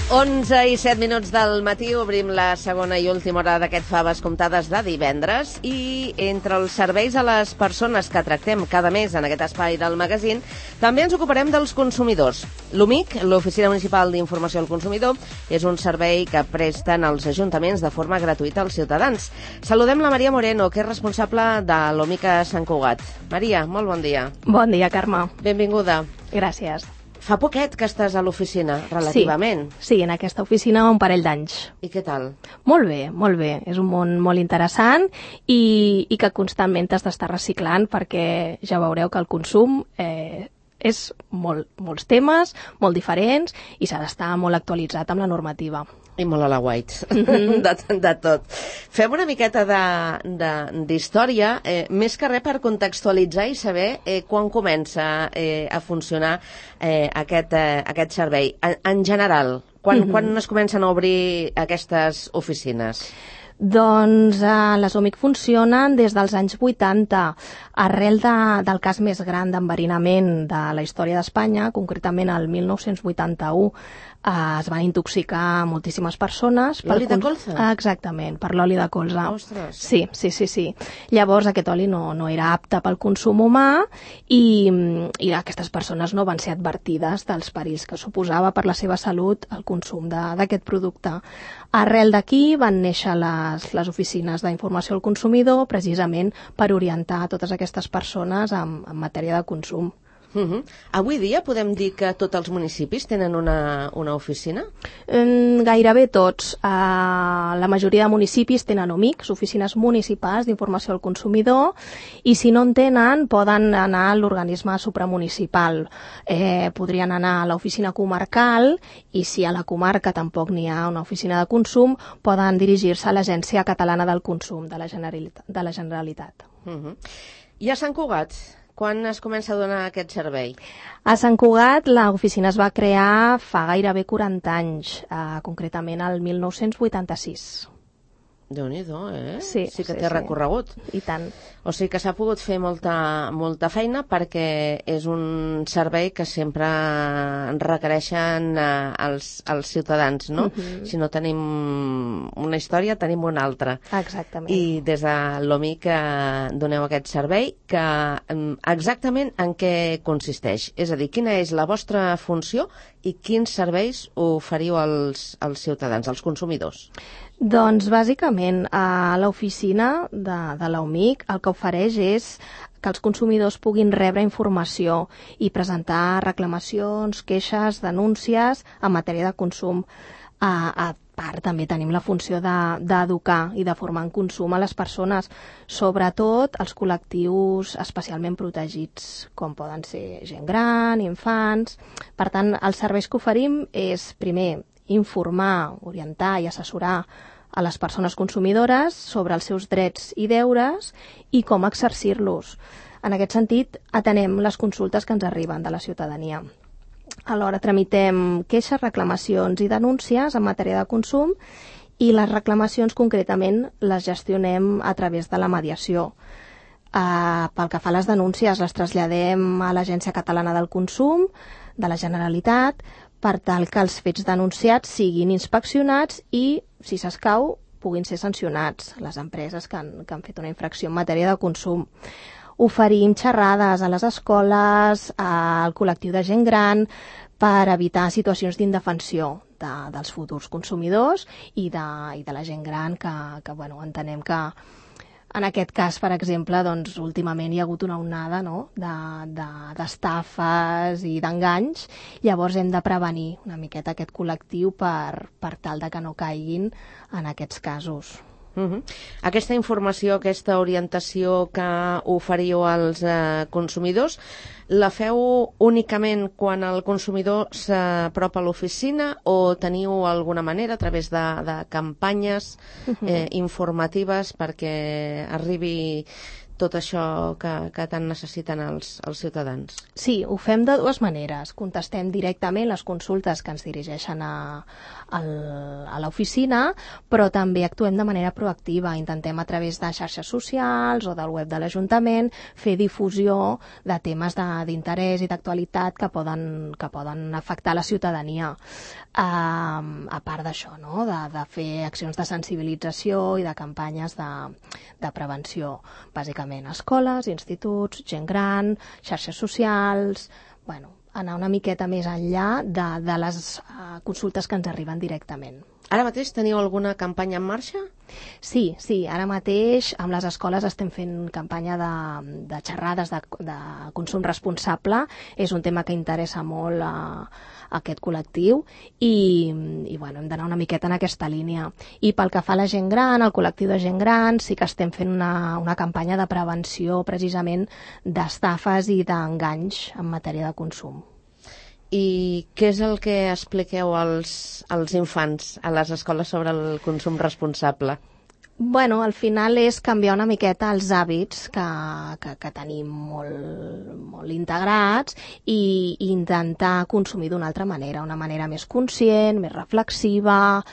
11:07 del matí, obrim la segona i última hora d'aquest Faves Comptades de divendres i entre els serveis a les persones que tractem cada mes en aquest espai del magazín també ens ocuparem dels consumidors. L'OMIC, l'Oficina Municipal d'Informació al Consumidor, és un servei que presten els ajuntaments de forma gratuïta als ciutadans. Saludem la Maria Moreno, que és responsable de l'OMIC a Sant Cugat. Maria, molt bon dia. Bon dia, Carme. Benvinguda. Gràcies. Fa poquet que estàs a l'oficina, relativament. Sí, en aquesta oficina un parell d'anys. I què tal? Molt bé, molt bé. És un món molt interessant i que constantment t'has d'estar reciclant perquè ja veureu que el consum és molts temes, molt diferents i s'ha d'estar molt actualitzat amb la normativa. I molt a la white, de tot. Fem una miqueta d'història, més que res per contextualitzar i saber quan comença a funcionar aquest servei. En general, quan es comencen a obrir aquestes oficines? Doncs les OMIC funcionen des dels anys 80, arrel del cas més gran d'enverinament de la història d'Espanya, concretament el 1981, es van intoxicar moltíssimes persones. L'oli de colza? Exactament, per l'oli de colza. Ostres! Sí. Llavors aquest oli no era apte pel consum humà i aquestes persones no van ser advertides dels perills que suposava per la seva salut el consum d'aquest producte. Arrel d'aquí van néixer les oficines d'informació al consumidor precisament per orientar totes aquestes persones en matèria de consum. Avui dia podem dir que tots els municipis tenen una oficina? Gairebé tots. La majoria de municipis tenen OMICs, oficines municipals d'informació al consumidor, i si no en tenen poden anar a l'organisme supramunicipal. Podrien anar a l'oficina comarcal i si a la comarca tampoc n'hi ha una oficina de consum, poden dirigir-se a l'Agència Catalana del Consum de la Generalitat. I a Sant Cugat? Quan es comença a donar aquest servei? A Sant Cugat l'oficina es va crear fa gairebé 40 anys, concretament el 1986. Déu-n'hi-do, Sí que té recorregut. I tant. O sigui que s'ha pogut fer molta feina perquè és un servei que sempre requereixen els ciutadans, no? Si no tenim una història, tenim una altra. Exactament. I des de l'OMIC doneu aquest servei que exactament en què consisteix? És a dir, quina és la vostra funció i quins serveis oferiu als ciutadans, als consumidors? Doncs bàsicament a l'oficina de l'OMIC el que ofereix és que els consumidors puguin rebre informació i presentar reclamacions, queixes, denúncies en matèria de consum. A part també tenim la funció d'educar i de formar en consum a les persones, sobretot els col·lectius especialment protegits, com poden ser gent gran, infants. Per tant, els serveis que oferim és, primer, informar, orientar i assessorar a les persones consumidores sobre els seus drets i deures i com exercir-los. En aquest sentit, atenem les consultes que ens arriben de la ciutadania. Alhora tramitem queixes, reclamacions i denúncies en matèria de consum i les reclamacions concretament les gestionem a través de la mediació. Pel que fa a les denúncies, les traslladem a l'Agència Catalana del Consum de la Generalitat per tal que els fets denunciats siguin inspeccionats i, si s'escau, puguin ser sancionats les empreses que han fet una infracció en matèria de consum. Oferim xerrades a les escoles, al col·lectiu de gent gran, per evitar situacions d'indefensió dels futurs consumidors i de la gent gran que entenem que en aquest cas, per exemple, doncs, últimament hi ha hagut una onada d'estafes i d'enganys. Llavors hem de prevenir una miqueta aquest col·lectiu per tal de que no caiguin en aquests casos. Aquesta informació, aquesta orientació que oferiu als consumidors, la feu únicament quan el consumidor s'apropa a l'oficina o teniu alguna manera a través de campanyes informatives perquè arribi tot això que tant necessiten els ciutadans? Sí, ho fem de dues maneres. Contestem directament les consultes que ens dirigeixen a l'oficina, però també actuem de manera proactiva. Intentem a través de xarxes socials o del web de l'Ajuntament fer difusió de temes d'interès i d'actualitat que poden afectar la ciutadania. A part d'això, no? de fer accions de sensibilització i de campanyes de prevenció, bàsicament escoles, instituts, gent gran, xarxes socials, anar una miqueta més enllà de les consultes que ens arriben directament. Ara mateix teniu alguna campanya en marxa? Sí, ara mateix amb les escoles estem fent campanya de xerrades de consum responsable. És un tema que interessa molt a aquest col·lectiu i hem d'anar una miqueta en aquesta línia. I pel que fa a la gent gran, al col·lectiu de gent gran, sí que estem fent una campanya de prevenció precisament d'estafes i d'enganys en matèria de consum. I què és el que expliqueu als infants a les escoles sobre el consum responsable? Al final és canviar una miqueta els hàbits que tenim molt integrats i intentar consumir d'una altra manera, una manera més conscient, més reflexiva,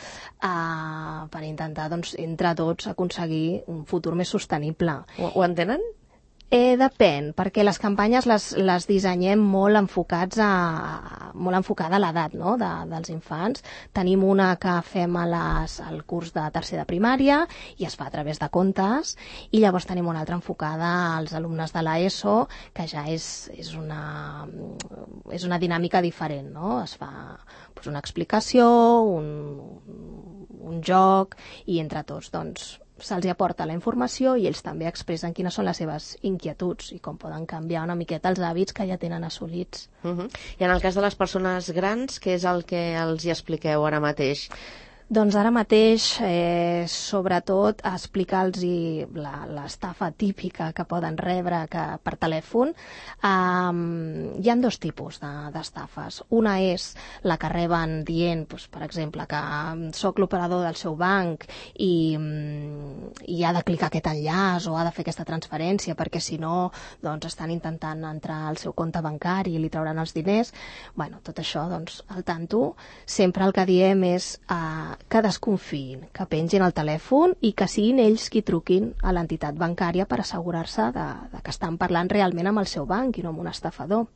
per intentar, entre tots, aconseguir un futur més sostenible. Ho entenen? Depèn, perquè les campanyes les dissenyem molt enfocada a l'edat, no? dels infants. Tenim una que fem al curs de tercer de primària i es fa a través de contes, i llavors tenim una altra enfocada als alumnes de l'ESO, que ja és una dinàmica diferent, no? Es fa una explicació, un joc, i entre tots se'ls aporta la informació i ells també expressen quines són les seves inquietuds i com poden canviar una miqueta els hàbits que ja tenen assolits. I en el cas de les persones grans, què és el que els hi expliqueu ara mateix? Doncs ara mateix, sobretot, explicar-los l'estafa típica que poden rebre per telèfon. Hi ha dos tipus d'estafes. Una és la que reben dient, per exemple, que soc l'operador del seu banc i ha de clicar aquest enllaç o ha de fer aquesta transferència perquè si no estan intentant entrar al seu compte bancari i li trauran els diners. Tot això, al tanto. Sempre el que diem és que desconfiïn, que pengin el telèfon i que siguin ells qui truquin a l'entitat bancària per assegurar-se que estan parlant realment amb el seu banc i no amb un estafador.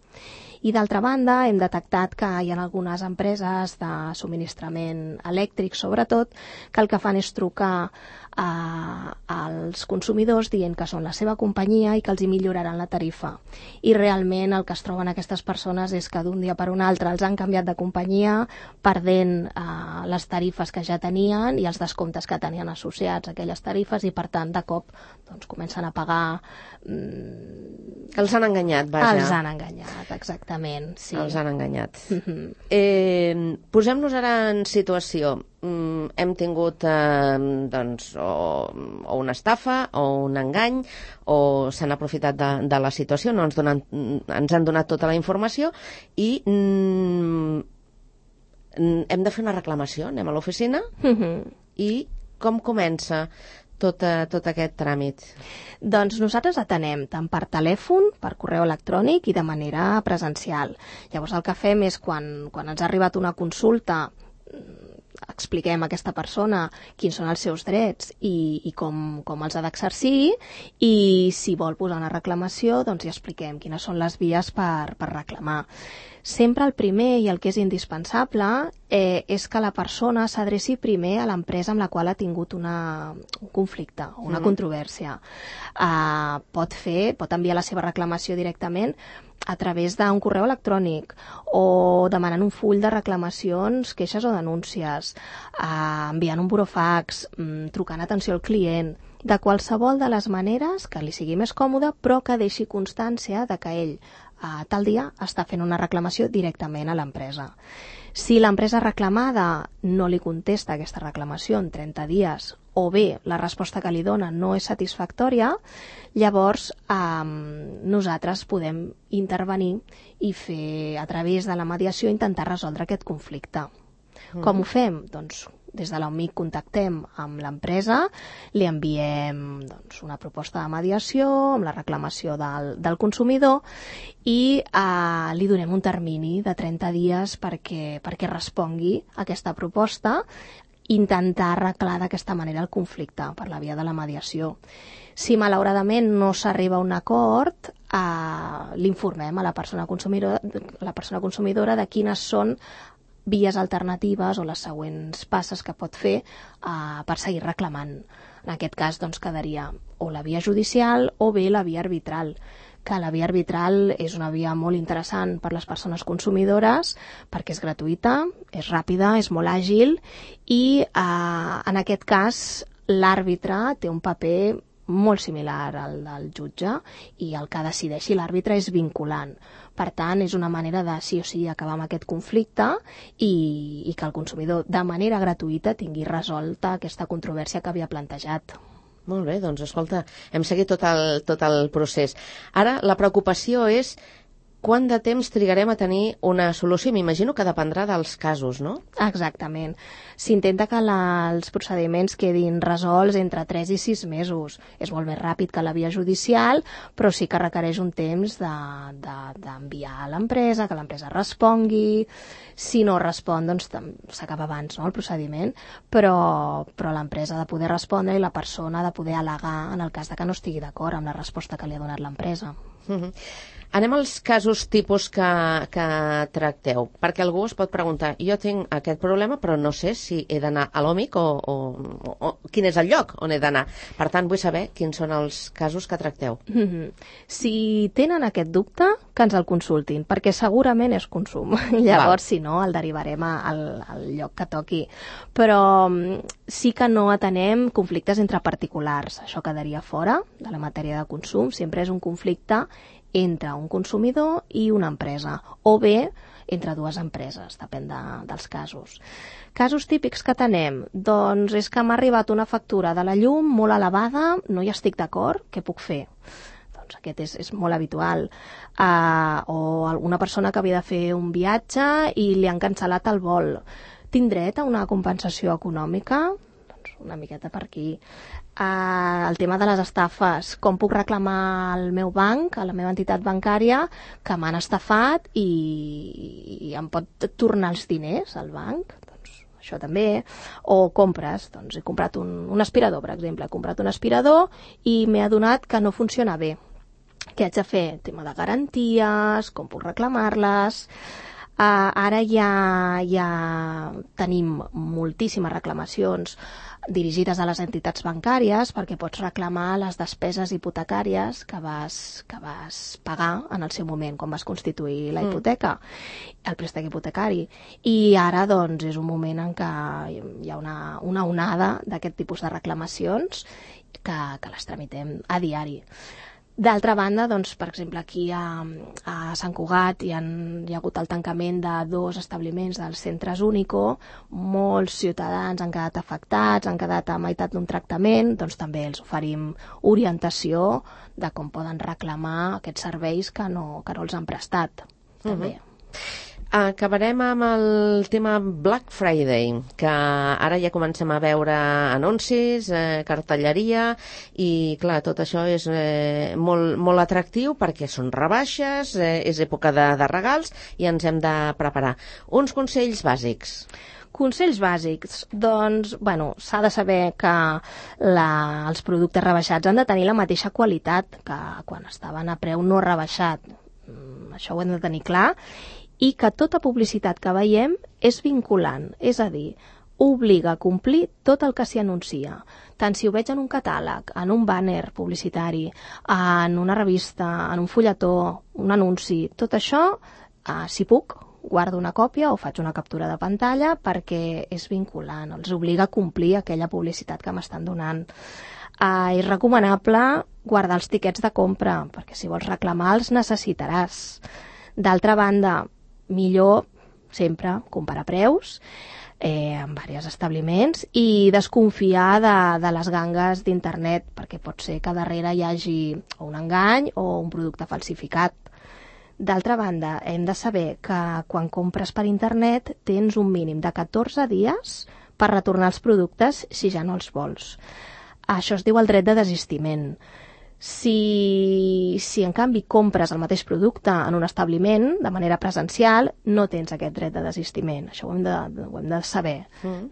I d'altra banda, hem detectat que hi ha algunes empreses de subministrament elèctric, sobretot, que el que fan és trucar als consumidors dient que són la seva companyia i que els hi milloraran la tarifa. I realment el que es troben aquestes persones és que d'un dia per un altre els han canviat de companyia, perdent les tarifes que ja tenien i els descomptes que tenien associats a aquelles tarifes, i per tant de cop comencen a pagar... Els han enganyat, vaja. Els han enganyat, exactament. Sí. Els han enganyat. Posem-nos ara en situació. Hem tingut o una estafa o un engany, o s'han aprofitat de la situació, no ens han donat tota la informació i hem de fer una reclamació. Anem a l'oficina i com comença tot aquest tràmit? Doncs nosaltres atenem tant per telèfon, per correu electrònic i de manera presencial. Llavors el que fem és quan ens ha arribat una consulta, expliquem a aquesta persona quins són els seus drets i com els ha d'exercir, i si vol posar una reclamació, doncs hi expliquem quines són les vies per reclamar. Sempre el primer i el que és indispensable és que la persona s'adreci primer a l'empresa amb la qual ha tingut un conflicte o una controvèrsia. Pot enviar la seva reclamació directament a través d'un correu electrònic o demanant un full de reclamacions, queixes o denúncies, enviant un burofax, trucant atenció al client, de qualsevol de les maneres que li sigui més còmode, però que deixi constància de que ell tal dia està fent una reclamació directament a l'empresa. Si l'empresa reclamada no li contesta aquesta reclamació en 30 dies o bé la resposta que li dona no és satisfactòria, llavors nosaltres podem intervenir i fer, a través de la mediació, intentar resoldre aquest conflicte. Com ho fem? Doncs des de l'OMIC contactem amb l'empresa, li enviem una proposta de mediació amb la reclamació del consumidor i li donem un termini de 30 dies perquè respongui a aquesta proposta, intentar arreglar d'aquesta manera el conflicte per la via de la mediació. Si malauradament no s'arriba a un acord, l'informem a la persona consumidora de quines són vies alternatives o les següents passes que pot fer per seguir reclamant. En aquest cas quedaria o la via judicial o bé la via arbitral, que la via arbitral és una via molt interessant per les persones consumidores perquè és gratuïta, és ràpida, és molt àgil i en aquest cas l'àrbitre té un paper molt similar al del jutge i el que decideixi l'àrbitre és vinculant. Per tant, és una manera de sí o sí acabar amb aquest conflicte i que el consumidor de manera gratuïta tingui resolta aquesta controvèrsia que havia plantejat. Molt bé, doncs escolta, hem seguit tot el procés. Ara la preocupació és quant de temps trigarem a tenir una solució? M'imagino que dependrà dels casos, no? Exactament. S'intenta que els procediments quedin resolts entre 3 i 6 mesos. És molt més ràpid que la via judicial, però sí que requereix un temps d'enviar a l'empresa, que l'empresa respongui. Si no respon, doncs s'acaba abans, no, el procediment, però l'empresa ha de poder respondre i la persona ha de poder al·legar en el cas de que no estigui d'acord amb la resposta que li ha donat l'empresa. Anem als casos tipus que tracteu, perquè algú es pot preguntar, jo tinc aquest problema però no sé si he d'anar a l'OMIC o quin és el lloc on he d'anar. Per tant, vull saber quins són els casos que tracteu. Si tenen aquest dubte, que ens el consultin, perquè segurament és consum. Llavors, si no, el derivarem al lloc que toqui. Però sí que no atenem conflictes entre particulars. Això quedaria fora de la matèria de consum. Sempre és un conflicte entre un consumidor i una empresa, o bé entre dues empreses, depèn dels casos. Casos típics que tenem, doncs és que m'ha arribat una factura de la llum molt elevada, no hi estic d'acord, què puc fer? Doncs aquest és molt habitual. O alguna persona que havia de fer un viatge i li han cancel·lat el vol. Tinc dret a una compensació econòmica? Doncs una miqueta per aquí. El tema de les estafes, com puc reclamar al meu banc, a la meva entitat bancària, que m'han estafat i em pot tornar els diners al banc? Doncs això també. O compres, doncs he comprat un aspirador, per exemple, he comprat un aspirador i m'he adonat que no funciona bé. Què haig de fer? Tema de garanties, com puc reclamar-les. Ara ja tenim moltíssimes reclamacions dirigides a les entitats bancàries perquè pots reclamar les despeses hipotecàries que vas pagar en el seu moment, quan vas constituir la hipoteca, el préstec hipotecari. I ara doncs és un moment en què hi ha una onada d'aquest tipus de reclamacions que les tramitem a diari. D'altra banda, doncs, per exemple, aquí a Sant Cugat hi ha hagut el tancament de 2 establiments dels centres Único, molts ciutadans han quedat afectats, han quedat a meitat d'un tractament, doncs també els oferim orientació de com poden reclamar aquests serveis que no els han prestat. També. Acabarem amb el tema Black Friday, que ara ja comencem a veure anuncis, cartelleria, i clar, tot això és molt atractiu perquè són rebaixes, és època de regals i ens hem de preparar. Uns consells bàsics. Consells bàsics, doncs, s'ha de saber que els productes rebaixats han de tenir la mateixa qualitat que quan estaven a preu no rebaixat. Això ho hem de tenir clar. I que tota publicitat que veiem és vinculant, és a dir, obliga a complir tot el que s'hi anuncia. Tant si ho veig en un catàleg, en un bàner publicitari, en una revista, en un fulletó, un anunci, tot això, si puc, guardo una còpia o faig una captura de pantalla perquè és vinculant, els obliga a complir aquella publicitat que m'estan donant. És recomanable guardar els tiquets de compra, perquè si vols reclamar els necessitaràs. D'altra banda, millor sempre comparar preus en diversos establiments i desconfiar de les gangues d'internet, perquè pot ser que darrere hi hagi un engany o un producte falsificat. D'altra banda, hem de saber que quan compres per internet tens un mínim de 14 dies per retornar els productes si ja no els vols. Això es diu el dret de desistiment. Si en canvi compres el mateix producte en un establiment de manera presencial, no tens aquest dret de desistiment. Això ho hem de saber.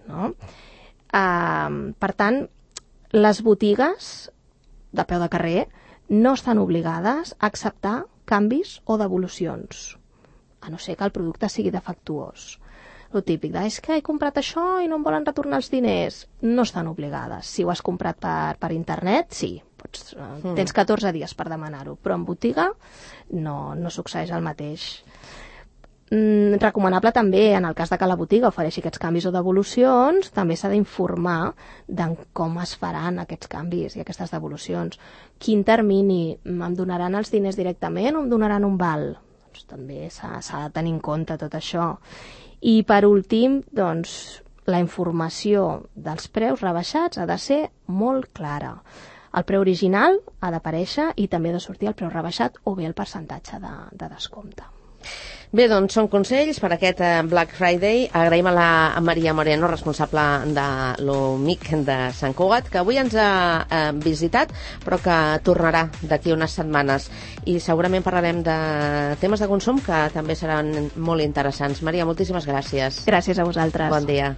No? Per tant, les botigues de peu de carrer no estan obligades a acceptar canvis o devolucions, a no ser que el producte sigui defectuós. Lo típic és que he comprat això i no em volen retornar els diners. No estan obligades. Si ho has comprat per internet, sí. Tens 14 dies per demanar-ho, però en botiga no succeeix el mateix. Recomanable també, en el cas de que la botiga ofereixi aquests canvis o devolucions, també s'ha d'informar de com es faran aquests canvis i aquestes devolucions. Quin termini? Em donaran els diners directament o em donaran un val? Doncs també s'ha de tenir en compte tot això. I per últim, doncs, la informació dels preus rebaixats ha de ser molt clara. El preu original ha d'aparèixer i també ha de sortir el preu rebaixat o bé el percentatge de descompte. Bé, doncs són consells per aquest Black Friday. Agraïm a la Maria Moreno, responsable de l'OMIC de Sant Cugat, que avui ens ha visitat, però que tornarà d'aquí unes setmanes. I segurament parlarem de temes de consum que també seran molt interessants. Maria, moltíssimes gràcies. Gràcies a vosaltres. Bon dia.